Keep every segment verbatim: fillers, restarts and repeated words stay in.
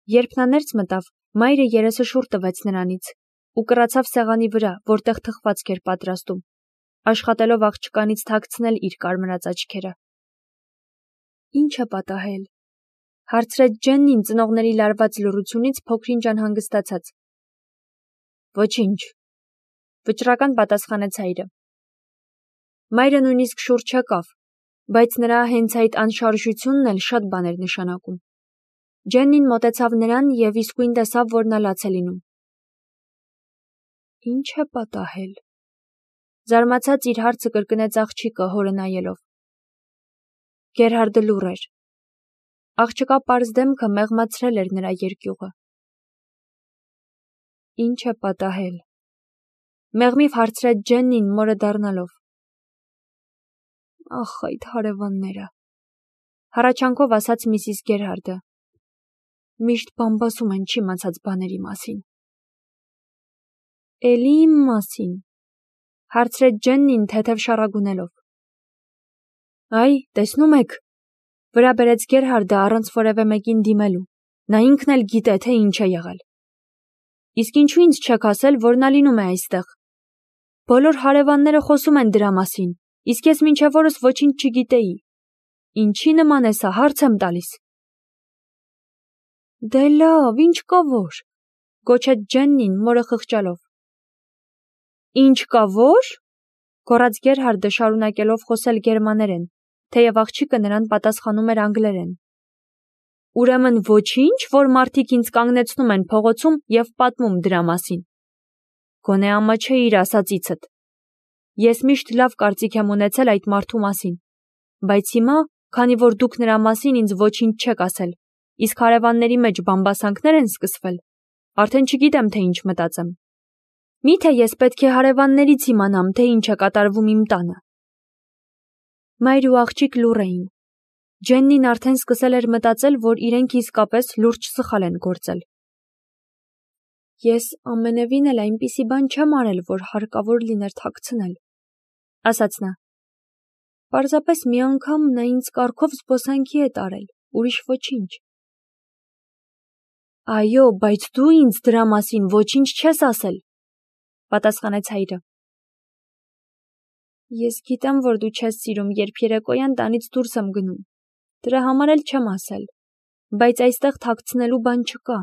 Երբ նա ներս մտավ, մայրը երեսը շուռ տվեց նրանից ու կռացավ սեղանի վրա, որտեղ թխվածք էր պատրաստում, աշխատելով աղջկանից թաքցնել իր կարմրած աչքերը։ Ինչ է պատահել, հարցրեց Ջեննին ծնողների լարված լռությունից փոքրինչ անհանգստացած։ Ոչինչ, վճռական պատասխանեց հայրը։ Մայրը նույնիսկ շուռ չեկավ, բայց նրա հենց այդ անշարժությունն էլ շատ բան էր նշանակում։ Ջեննին մոտեցավ նրան և իսկույն տեսավ, որ նա լաց է լինում։ Ինչ է պատահել, զարմացած իր հարցը կրկնեց աղջիկը հորը նայելով։ Գերհարդը լուռ էր։ Աղջկա պարզ դեմքը մեղմացրել էր նրա երկյուղը։ Ինչ է պատահել, մեղմիվ հարցրեց Ջեննին մորը դառնալով։ Ախ, այդ հարևանները, հառաչանքով ասաց միսիս Գերհարդը։ Միշտ բամբասում են չիմացած բաների մասին։ Էլի իմ մասին, հարցրեց Ջեննին թեթև շառագունելով։ Այ, տեսնում եք, վրա բերեց Գերհարդը առանց որևէ մեկին դիմելու, նա ինքն էլ գիտե, թե ինչ է եղել։ Իսկ ինչու ինձ չեք ասել, որ նա լինում է այստեղ։ Բոլոր հարևանները խոսում են դրա մասին, իսկ ես մինչև օրս ոչինչ չգիտեի։ Ինչի նման է սա, հարց եմ տալիս։ Դե լավ, ինչ կա որ, գոչեց Ջեննին մորը խղճալով։ Ինչ կա որ, գոռաց Գերհարդը շարունակելով խոսել գերմաներեն, թեև աղջիկը նրան պատասխանում էր անգլերեն։ Ուրեմն ոչինչ, որ մարդիկ ինձ կանգնեցնում են փողոցում և պատմում դրա մասին։ Գոնե ամաչեիր ասածիցդ։ Ես միշտ լավ կարծիք եմ ունեցել այդ մարդու մասին, բայց հիմա, քանի որ դուք նրա մասին ինձ ոչինչ չեք ասել, իսկ հարևանների մեջ բամբասանքներ են սկսվել, արդեն չգիտեմ, թե ինչ մտածեմ։ Միթե ես պետք է հարևաններից իմանամ, թե ինչ է կատարվում իմ տանը։ Մայր ու աղջիկ լուռ էին։ Ջեննին արդեն սկսել էր մտածել, որ իրենք իսկապես լուրջ սխալ են գործել։ Ես ամենևին էլ այնպիսի բան չեմ արել, որ հարկավոր լիներ թաքցնել, ասաց նա։ Պարզապես մի անգամ նա ինձ կառքով զբոսանքի է տարել, ուրիշ ոչինչ։ Այո, բայց դու ինձ դրա մասին ոչինչ չես ասել, պատասխանեց հայրը։ Ես գիտեմ, որ դու չես սիրում, երբ երեկոյան տանից դուրս եմ գնում, դրա համար էլ չեմ ասել, բայց այստեղ թաքցնելու բան չկա։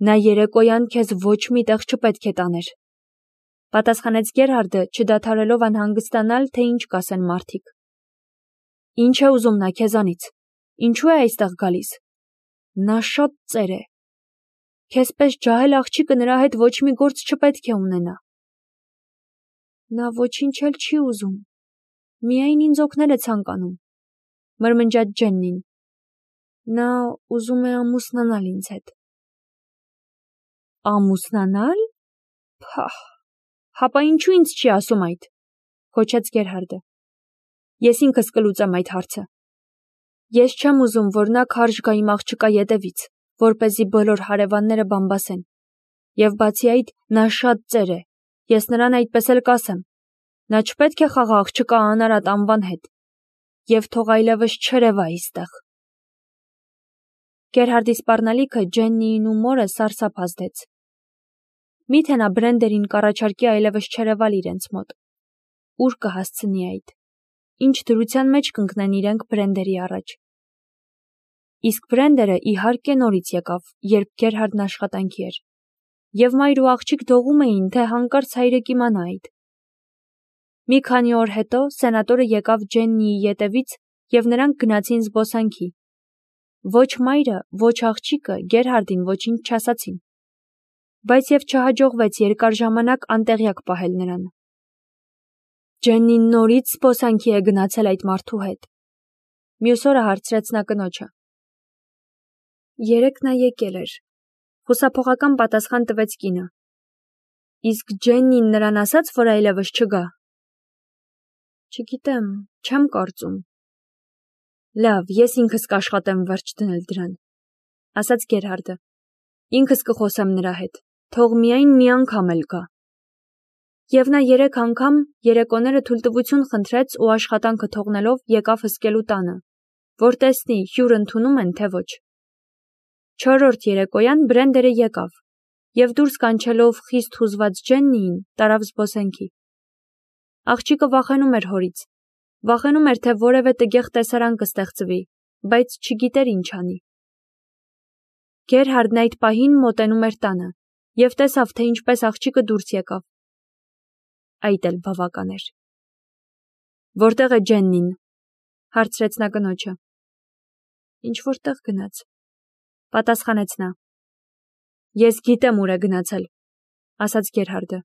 Նա երեկոյան քեզ ոչ մի տեղ չպետք է տաներ, պատասխանեց Գերհարդը, չդադարելով անհանգստանալ, թե ինչ կասեն մարդիկ։ Ինչ է ուզում նա քեզանից, ինչու է այստեղ գալիս։ Նա շատ ծեր է։ Քեզպես ջահել աղջիկը նրա հետ ոչ մի գործ չպետք է ունենա։ Նա ոչինչ էլ չի ուզում, միայն ինձ օգնել է ցանկանում, մրմնջաց Ջեննին։ Նա ուզում է ամուսնանալ ինձ հետ։ Ամուսնանալ։ Փահ, հապա ինչու ինձ չի ասում այդ, գոչեց Գերհարդը։ Ես ինքս կլուծեմ այդ հարցը։ Ես չեմ ուզում, որ նա քարշ գա իմ աղջկա ետևից, որպեսզի բոլոր հարևանները բամբասեն։ Եվ բացի այդ, նա շատ ծեր է, ես նրան այդպես էլ կասեմ։ Նա չպետք է խաղա աղջկա անարատ անվան հետ։ Եվ թող այլևս չերևա այստեղ։ Գերհարդի սպառնալիքը Ջեննիին ու մորը սարսափ ազդեց։ Միթե նա Բրենդերին կառաջարկի այլևս չերևալ իրենց մոտ։ Ուր կհասցնի այդ։ Ինչ դրության մեջ կընկնեն իրենք Բրենդերի առաջ։ Իսկ Բրենդերը իհարկե նորից եկավ, երբ Գերհարդն աշխատանքի էր, և մայր ու աղջիկ դողում էին, թե հանկարծ հայրը կիմանա այդ։ Մի քանի օր հետո սենատորը եկավ Ջեննիի ետևից և նրանք գնացին զբոսանքի։ Ոչ մայրը, ոչ աղջիկը Գերհարդին ոչինչ չասացին, բայց և չհաջողվեց երկար ժամանակ անտեղյակ պահել նրան։ Ջեննին նորից զբոսանքի է գնացել այդ մարդու հետ։ Մյուս օրը հարցրեց նա կնոջը։ Երեկ նա եկել էր, խուսափողական պատասխան տվեց կինը։ Իսկ Ջեննին նրան ասաց, որ այլևս չգա։ Չգիտեմ, չեմ կարծում։ Լավ, ես ինքս կաշխատեմ վերջ դնել դրան, ասաց Գերհարդը։ Ինքս կխոսեմ նրա հետ, թող միայն մի անգամ էլ գա։ Եվ նա երեք անգամ երեկոները թույլտվություն խնդրեց ու աշխատանքը թողնելով եկավ հսկելու տանը, որ տեսնի հյուր ընդունում են, թե ոչ։ Չորրորդ երեկոյան Բրենդերը եկավ և դուրս կանչելով խիստ հուզված Ջեննիին տարավ զբոսենքի։ Աղջիկը վախենում էր հորից, վախենում էր, թե որևէ տգեղ տեսարան կստեղծվի, բայց չգիտեր ինչ անի։ Գերհարդն այդ պահին մոտենում էր տանը և տեսավ, թե ինչպես աղջիկը դուրս եկավ։ Այդ էլ բավական էր։ Որտե՞ղ է Ջեննին, հարցրեց նա կնոջը։ Ինչ որտեղ գնաց, պատասխանեց նա։ Ես գիտեմ ուր է գնացել, ասաց Գերհարդը։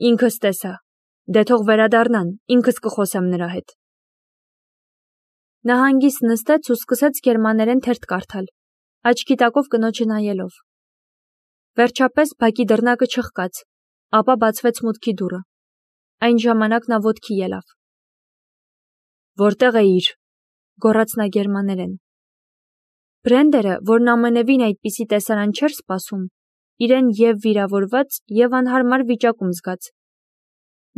Ինքս տեսա, դե թող վերադառնան, ինքս կխոսեմ նրա հետ։ Նա հանգիստ նստեց ու սկսեց գերմաներեն թերթ կարդալ, աչքի տակով կնոջը նայելով։ Վերջապես բակի դռնակը չխկաց, ապա բացվեց մուտքի դուռը։ Այն ժամանակ նա ոտքի ելավ։ Որտեղ էիր, գոռաց նա գերմաներեն։ Բրենդերը, որն ամենևին այդպիսի տեսարան չէր սպասում, իրեն և վիրավորված, և անհարմար վիճակում զգաց։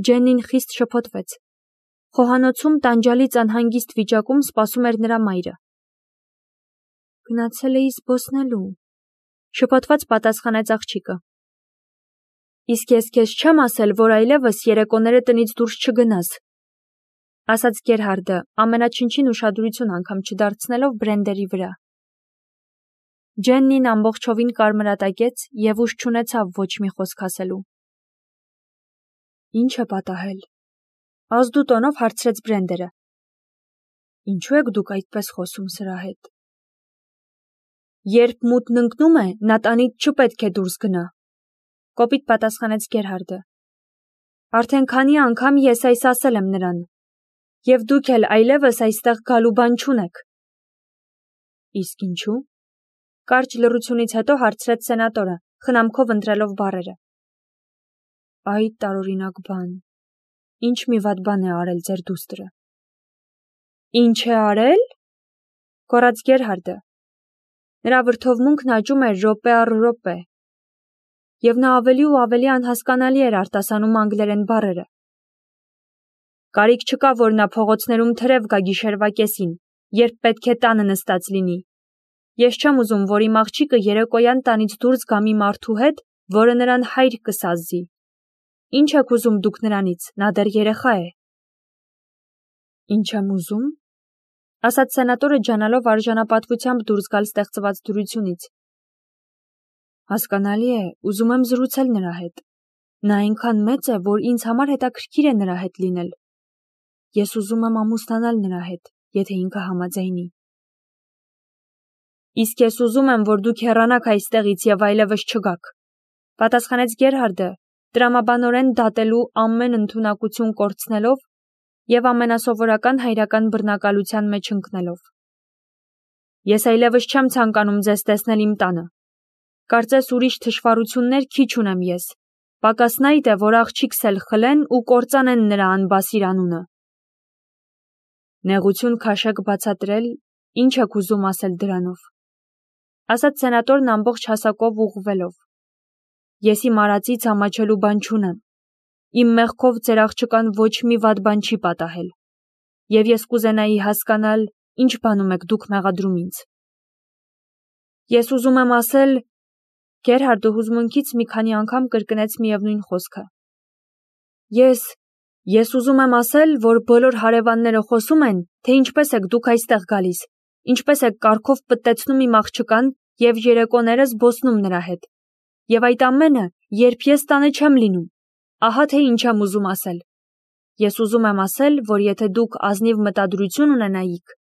Ջեննին խիստ շփոթվեց։ Խոհանոցում տանջալից անհանգիստ վիճակում սպասում էր նրա մայրը։ Գնացել էի զբոսնելու, շփոթված պատասխանեց աղջիկը։ Իսկ ես քեզ չեմ ասել, որ այլևս երեկոները տնից դուրս չգնաս, ասաց Գերհարդը, ամենաչնչին ուշադրություն անգամ չդարձնելով Բրենդերի վրա։ Ջեննին ամբողջովին կարմրատակեց և ուժ չունեցավ ոչ մի խոսք ասելու։ Ինչ է պատահել, ազդու տոնով հարցրեց Բրենդերը։ Ինչու եք դուք այդպես խոսում սրա հետ։ Երբ մութն ընկնում է, նա տանից չպետք է դուրս գնա, կոպիտ պատասխանեց Գերհարդը։ Արդեն քանի անգամ ես այս ասել եմ նրան, և դուք էլ այլևս այստեղ գալու բան չունեք։ Իսկ ինչու։ Կարճ լռությունից հետո հարցրեց սենատորը, խնամքով ընտրելով բառերը։ Այդ տարօրինակ բան։ Ինչ մի վատ բան է արել ձեր դուստրը։ Ինչ է արել։ Գոռաց Գերհարդը։ Նրա վրդովմունքն աճում էր րոպե առ րոպե, և նա ավելի ու ավելի անհասկանալի էր արտասանում անգլերեն բառերը։ Կարիք չկա, որ նա փողոցներում թրև գա գիշերվա կեսին, երբ պետք է տանը նստած լինի։ Ես չեմ ուզում, որ իմ աղջիկը երեկոյան տանից դուրս գա մի մարդու հետ, որը նրան հայր կսազի։ Ինչ եք ուզում դուք նրանից, նա դեռ երեխա է։ Ինչ եմ ուզում, ասաց սենատորը ջանալով արժանապատվությամբ դուրս գալ ստեղծված դյուրությունից։ Հասկանալի է, ուզում եմ զրուցել նրա հետ։ Նա այնքան մեծ է, որ ինձ համար հետաքրքիր է նրա հետ լինել։ Ես ուզում եմ ամուսնանալ նրա հետ, եթե ինքը համաձայնի։ Իսկ ես ուզում եմ, որ դուք հեռանաք այստեղից և այլևս չգաք, պատասխանեց Գերհարդը, տրամաբանորեն դատելու ամեն ընդունակություն կորցնելով և ամենասովորական հայրական բռնակալության մեջ ընկնելով։ Ես այլևս չեմ ցանկանում ձեզ տեսնել իմ տանը։ Կարծես ուրիշ թշվառություններ քիչ ունեմ ես, պակասն այդ է, որ աղջիկս էլ խլեն ու կործանեն նրա անբասիր անունը։ Նեղություն քաշեք բացատրել, ինչ եք ուզում ասել դրանով, ասաց սենատորն ամբողջ հասակով ուղղվելով։ Ես իմ արածից ամաչելու բան չունեմ։ Իմ մեղքով ձեր աղջկան ոչ մի վատ բան չի պատահել, և ես կուզենայի հասկանալ, ինչ բանում եք դուք մեղադրում ինձ։ Ես ուզում եմ ասել, Գերհարդը հուզմունքից մի քանի անգամ կրկնեց միևնույն խոսքը։ Ես, ես ուզում եմ ասել, որ բոլոր հարևանները խոսում են, թե ինչպես եք դուք այստեղ գալիս, ինչպես եք կառքով պտտեցնում իմ աղջկան և երեկոները զբոսնում նրա հետ, և այդ ամենը, երբ ես տանը չեմ լինում, ահա թե ինչ եմ ուզում ասել։ Ես ուզում եմ ասել, որ եթե դուք ազնիվ մտադրություն ունենայիք,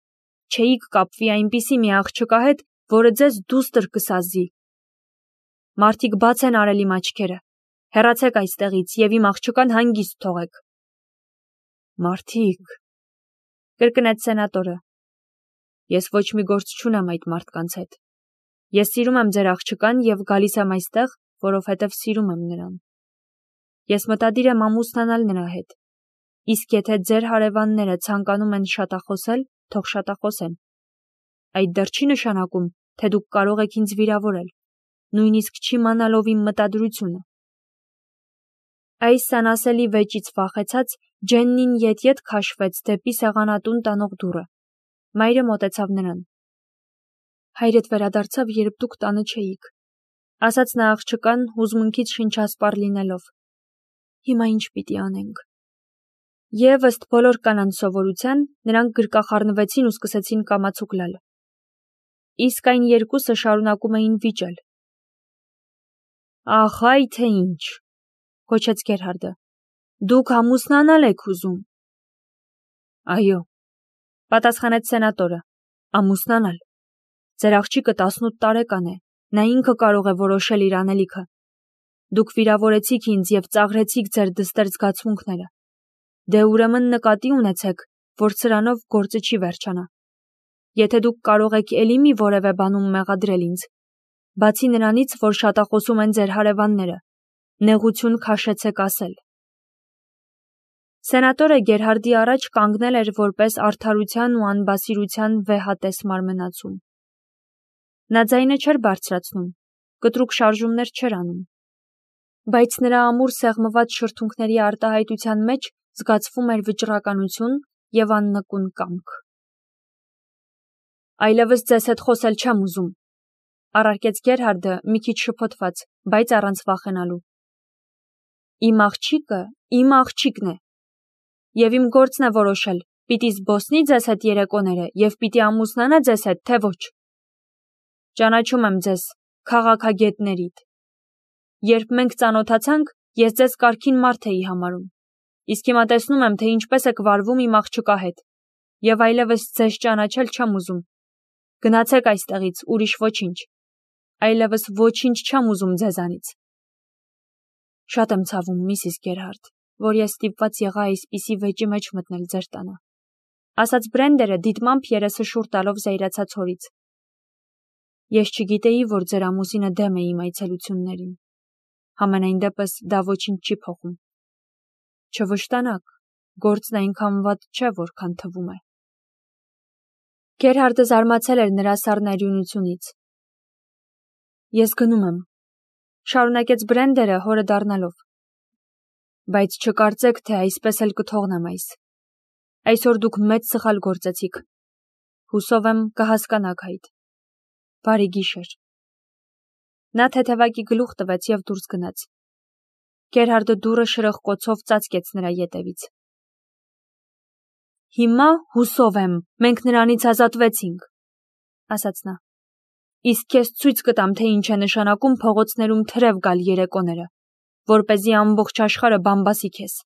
չէիք կապվի այնպիսի մի աղջկա հետ, որը ձեզ դուստր կսազի։ Մարդիկ բաց են արել իմ աչքերը, հեռացեք այստեղից և իմ աղջկան հանգիստ թողեք։ Մարդիկ, կրկնեց սենատորը։ Ես ոչ մի գործ չունեմ այդ մարդկանց հետ։ Ես սիրում եմ ձեր աղջկան և գալիս եմ այստեղ, որովհետև սիրում եմ նրան։ Ես մտադիր եմ ամուսնանալ նրա հետ, իսկ եթե ձեր հարևանները ցանկանում են շատախոսել, թող շատախոսեն։ Այդ դեռ չի նշանակում, թե դուք կարող եք ինձ վիրավորել, նույնիսկ չիմանալով իմ մտադրությունը։ Այս անասելի վեճից վախեցած Ջեննին ետ-ետ քաշվեց դեպի սեղանատուն տանող դուռը։ Մայրը մոտեցավ նրան։ Հայրդ վերադարձավ, երբ դուք տանը չէիք, ասաց նա աղջկան հուզմունքից շնչասպառ լինելով։ Հիմա ինչ պիտի անենք։ Եվ ըստ բոլոր կանանց սովորության, նրանք գրկախառնվեցին ու սկսեցին կամացուկ լալ։ Իսկ այն երկուսը շարունակում էին վիճել։ Ախ, այ թե ինչ, գոչեց Գերհարդը։ Դուք ամուսնանալ եք ուզում։ Այո, պատասխանեց սենատորը, ամուսնանալ։ Ձեր աղջիկը տասնութ տարեկան է, նա ինքը կարող է որոշել իր անելիքը։ Դուք վիրավորեցիք ինձ և ծաղրեցիք ձեր դստեր զգացմունքները։ Դե ուրեմն նկատի ունեցեք, որ սրանով գործը չի վերջանա։ Եթե դուք կարող եք էլի մի որևէ բանում մեղադրել ինձ, բացի նրանից, որ շատախոսում են ձեր հարևանները, նեղություն քաշեցեք ասել։ Սենատորը Գերհարդի առաջ կանգնել էր որպես արդարության ու անբասիրության վեհատես մարմնացում։ Նա ձայնը չէր բարձրացնում, կտրուկ շարժումներ չէր անում, բայց նրա ամուր սեղմված շրթունքների արտահայտության մեջ զգացվում էր վճռականություն և աննկուն կամք։ Այլևս ձեզ հետ խոսել չեմ ուզում, առարկեց Գերհարդը մի քիչ շփոթված, բայց առանց վախենալու։ Իմ աղջիկը իմ աղջիկն է, և իմ գործն է որոշել, պիտի զբոսնի ձեզ հետ երեկոները և պիտի ամուսնանա ձեզ հետ, թե ոչ։ Ճանաչում եմ ձեզ, քաղաքագետներիդ։ Երբ մենք ծանոթացանք, ես ձեզ կարգին մարդ էի համարում, իսկ հիմա տեսնում եմ, թե ինչպես եք վարվում իմ աղջկա հետ, և այլևս ձեզ ճանաչել չեմ ուզում։ Գնացեք այստեղից, ուրիշ ոչինչ, այլևս ոչինչ չեմ ուզում ձեզանից։ Շատ եմ ցավում, Միսիս Գերհարդ, որ ես ստիպված եղա այսպիսի վեճի մեջ մտնել ձեր տանը, ասաց Բրենդերը դիտմամբ երեսը շուռ տալով զայրացած հորից։ Ես չգիտեի, որ ձեր ամուսինը դեմ է իմ այցելություններին։ Համենայն դեպս դա ոչինչ չի փոխում։ Չվշտանաք, գործն այնքան վատ չէ, որքան թվում է։ Գերհարդը զարմացել էր նրա սառնարյունությունից։ Ես գնում եմ, շարունակեց Բրենդերը հորը դառնալով։ Բայց չկարծեք, թե այսպես էլ կթողնեմ այս։ Այսօր դուք մեծ սխալ գործեցիք։ Հուսով եմ կհասկանաք այդ։ Բարի գիշեր։ Նա թեթևակի գլուխ տվեց և դուրս գնաց։ Գերհարդը դուռը շրխկոցով ծածկեց նրա ետևից։ Հիմա հուսով եմ, մենք նրանից ազատվեցինք, ասաց նա։ Իսկ քեզ ցույց կտամ, թե ինչ է նշանակում փողոցներում թրև գալ երեկոները, որպեսզի ամբողջ աշխարհը բամբասի քեզ։